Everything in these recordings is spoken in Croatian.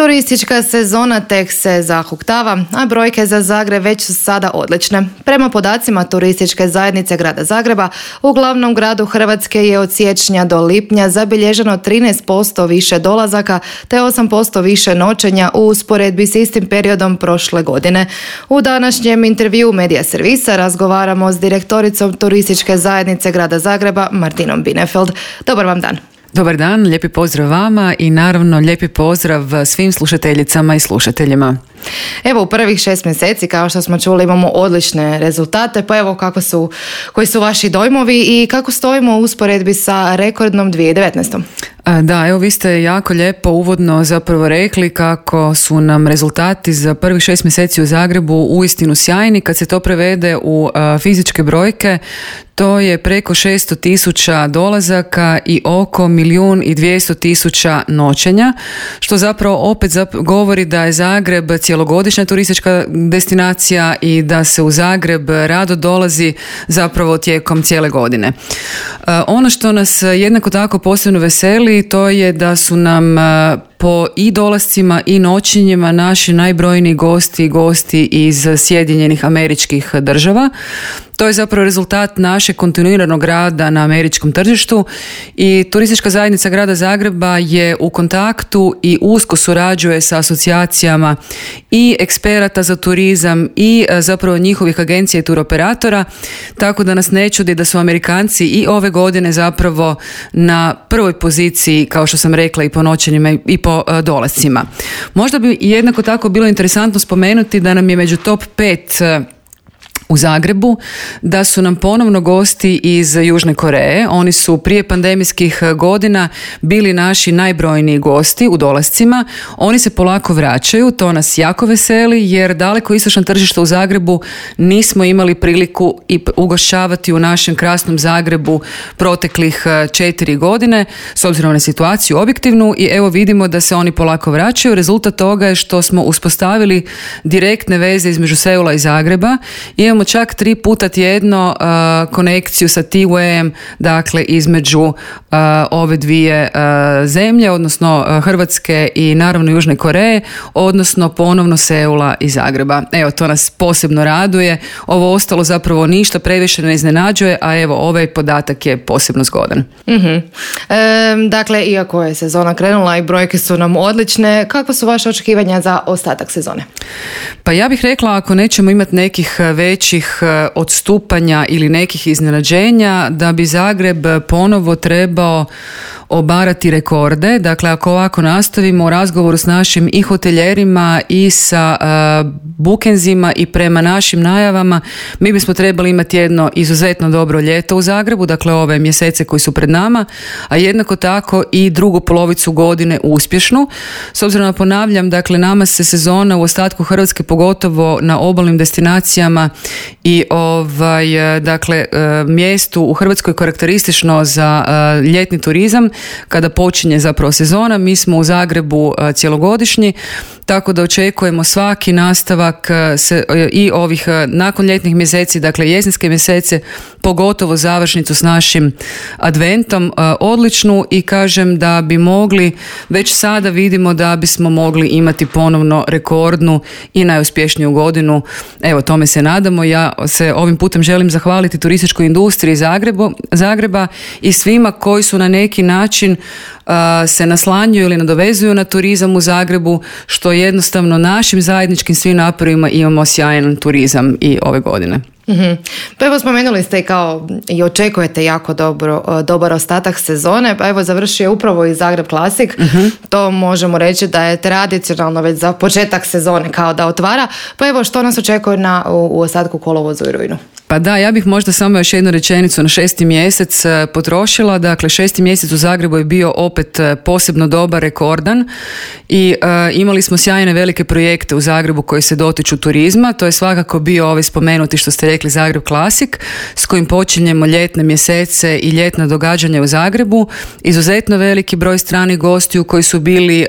Turistička sezona tek se zahuktava, a brojke za Zagreb već su sada odlične. Prema podacima Turističke zajednice Grada Zagreba, u glavnom gradu Hrvatske je od siječnja do lipnja zabilježeno 13% više dolazaka te 8% više noćenja u usporedbi s istim periodom prošle godine. U današnjem intervjuu Medija servisa razgovaramo s direktoricom Turističke zajednice Grada Zagreba Martinom Binefeld. Dobar vam dan. Dobar dan, lijepi pozdrav vama i naravno lijepi pozdrav svim slušateljicama i slušateljima. Evo, u prvih 6 mjeseci, kao što smo čuli, imamo odlične rezultate, pa evo koji su vaši dojmovi i kako stojimo u usporedbi sa rekordnom 2019. Da, evo vi ste jako lijepo uvodno zapravo rekli kako su nam rezultati za prvih 6 mjeseci u Zagrebu uistinu sjajni. Kad se to prevede u fizičke brojke, to je preko 600.000 dolazaka i oko 1.200.000 noćenja, što zapravo opet govori da je Zagreb cjelogodišnja turistička destinacija i da se u Zagreb rado dolazi zapravo tijekom cijele godine. Ono što nas jednako tako posebno veseli, to je da su nam po i dolascima i noćenjima naši najbrojniji gosti iz Sjedinjenih Američkih Država. To je zapravo rezultat našeg kontinuiranog rada na američkom tržištu i Turistička zajednica Grada Zagreba je u kontaktu i usko surađuje sa asocijacijama i eksperata za turizam i zapravo njihovih agencija i turoperatora, tako da nas ne čudi da su Amerikanci i ove godine zapravo na prvoj poziciji, kao što sam rekla, i po noćenjima i po dolascima. Možda bi jednako tako bilo interesantno spomenuti da nam je među top 5 u Zagrebu, da su nam ponovno gosti iz Južne Koreje. Oni su prije pandemijskih godina bili naši najbrojniji gosti u dolascima. Oni se polako vraćaju, to nas jako veseli jer daleko istočno tržište u Zagrebu nismo imali priliku i ugošćavati u našem krasnom Zagrebu proteklih 4 godine, s obzirom na situaciju objektivnu, i evo vidimo da se oni polako vraćaju. Rezultat toga je što smo uspostavili direktne veze između Seula i Zagreba. Imamo čak 3 puta tjedno konekciju sa T-Wayem, dakle između ove dvije zemlje, odnosno Hrvatske i naravno Južne Koreje, odnosno ponovno Seula i Zagreba. Evo, to nas posebno raduje. Ovo ostalo zapravo ništa previše ne iznenađuje, a evo ovaj podatak je posebno zgodan. Dakle, iako je sezona krenula i brojke su nam odlične, kakva su vaše očekivanja za ostatak sezone? Pa ja bih rekla, ako nećemo imati nekih većih odstupanja ili nekih iznenađenja, da bi Zagreb ponovo trebao obarati rekorde. Dakle, ako ovako nastavimo u razgovoru s našim i hoteljerima i sa bukenzima i prema našim najavama, mi bismo trebali imati jedno izuzetno dobro ljeto u Zagrebu, dakle ove mjesece koji su pred nama, a jednako tako i drugu polovicu godine uspješnu. S obzirom na, ponavljam, dakle nama se sezona u ostatku Hrvatske, pogotovo na obalnim destinacijama i mjestu u Hrvatskoj karakteristično za ljetni turizam, kada počinje zapravo sezona. Mi smo u Zagrebu cjelogodišnji, tako da očekujemo svaki nastavak i ovih nakon ljetnih mjeseci, dakle jesenske mjesece, pogotovo završnicu s našim adventom odličnu, i kažem da bi mogli, već sada vidimo da bismo mogli imati ponovno rekordnu i najuspješniju godinu. Evo, tome se nadamo. Ja se ovim putem želim zahvaliti turističkoj industriji Zagreba i svima koji su na neki način se naslanjuju ili nadovezuju na turizam u Zagrebu, što jednostavno našim zajedničkim svim naporima imamo sjajan turizam i ove godine. Pa evo, spomenuli ste i očekujete jako dobar ostatak sezone, pa evo završio je upravo i Zagreb Classic. To možemo reći da je tradicionalno već za početak sezone kao da otvara, pa evo što nas očekuje u ostatku kolovozu i rujnu? Pa da, ja bih možda samo još jednu rečenicu na 6. mjesec potrošila. Dakle, 6. mjesec u Zagrebu je bio opet posebno dobar, rekordan, i imali smo sjajne velike projekte u Zagrebu koji se dotiču turizma. To je svakako bio ovaj spomenuti, što ste rekli, Zagreb Classic, s kojim počinjemo ljetne mjesece i ljetna događanja u Zagrebu. Izuzetno veliki broj stranih gostiju koji su bili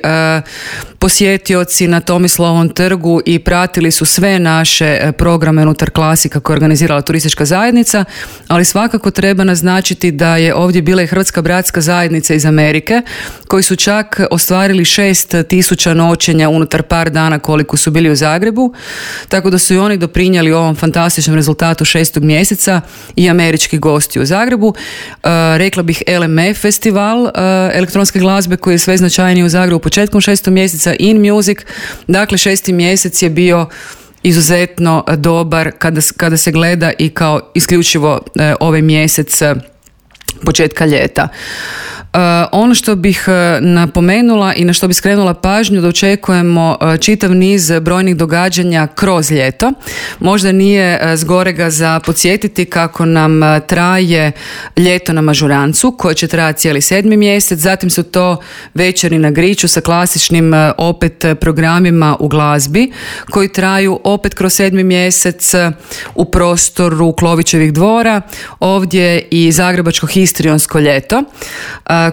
posjetioci na Tomislavom trgu i pratili su sve naše programe unutar Klasika koje je organizirala turistička zajednica, ali svakako treba naznačiti da je ovdje bila i Hrvatska bratska zajednica iz Amerike, koji su čak ostvarili 6.000 noćenja unutar par dana koliko su bili u Zagrebu, tako da su i oni doprinijeli ovom fantastičnom rezultatu 6. mjeseca i američki gosti u Zagrebu. Rekla bih LMF festival elektronske glazbe koji je sve značajniji u Zagrebu početkom 6. mjeseca, In Music, dakle 6. mjesec je bio izuzetno dobar kada se gleda i kao isključivo ovaj mjesec početka ljeta. Ono što bih napomenula i na što bih skrenula pažnju da očekujemo čitav niz brojnih događanja kroz ljeto. Možda nije zgorega za podsjetiti kako nam traje ljeto na Mažurancu koje će trajati cijeli 7. mjesec, zatim su to večeri na Griču sa klasičnim opet programima u glazbi koji traju opet kroz 7. mjesec u prostoru Klovićevih dvora, ovdje i Zagrebačko histrionsko ljeto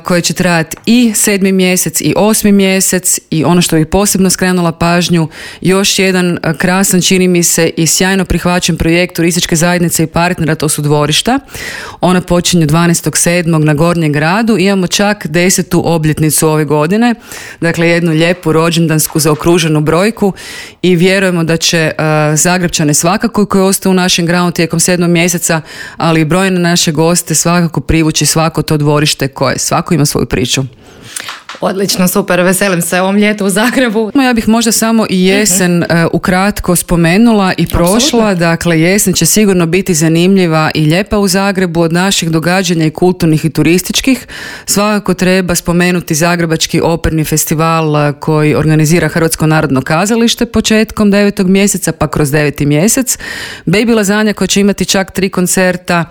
koje će trajati i 7. mjesec i 8. mjesec i ono što bih posebno skrenula pažnju, još jedan krasan, čini mi se, i sjajno prihvaćen projekt turističke zajednice i partnera, to su dvorišta. Ona počinje 12.7. na Gornjem gradu, imamo čak 10. obljetnicu ove godine, dakle jednu lijepu rođendansku zaokruženu brojku i vjerujemo da će Zagrepčane svakako koji ostaju u našem gradu tijekom 7. mjeseca, ali i brojne naše goste svakako privući svako to dvorište koje svako ima svoju priču. Odlično, super, veselim se ovom ljetu u Zagrebu. Ja bih možda samo i jesen ukratko spomenula i prošla. Absolutno. Dakle, jesen će sigurno biti zanimljiva i lijepa u Zagrebu od naših događanja i kulturnih i turističkih. Svakako treba spomenuti Zagrebački operni festival koji organizira Hrvatsko narodno kazalište početkom 9. mjeseca pa kroz 9. mjesec. Baby Lazanja koja će imati čak 3 koncerta,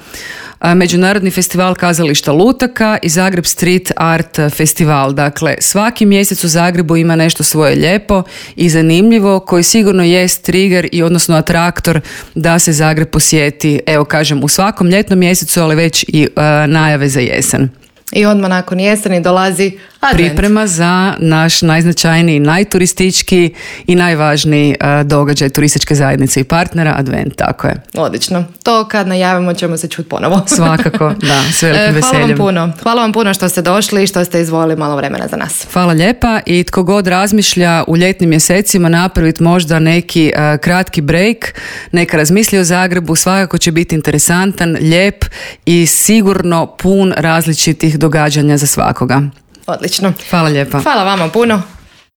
Međunarodni festival kazališta lutaka i Zagreb Street Art festival. Dakle, svaki mjesec u Zagrebu ima nešto svoje lijepo i zanimljivo koji sigurno jest trigger i odnosno atraktor da se Zagreb posjeti, evo kažem, u svakom ljetnom mjesecu, ali već i najave za jesen. I odmah nakon jeseni dolazi Advent. Priprema za naš najznačajniji, najturističkiji i najvažniji događaj turističke zajednice i partnera, Advent, tako je. Odlično. To kad najavimo ćemo se čuti ponovo. Svakako, da, s velikim veseljem. Hvala vam puno što ste došli i što ste izdvojili malo vremena za nas. Hvala lijepa i tko god razmišlja u ljetnim mjesecima napraviti možda neki kratki break, neka razmisli o Zagrebu, svakako će biti interesantan, lijep i sigurno pun različitih događanja za svakoga. Odlično. Hvala lijepa. Hvala vama puno.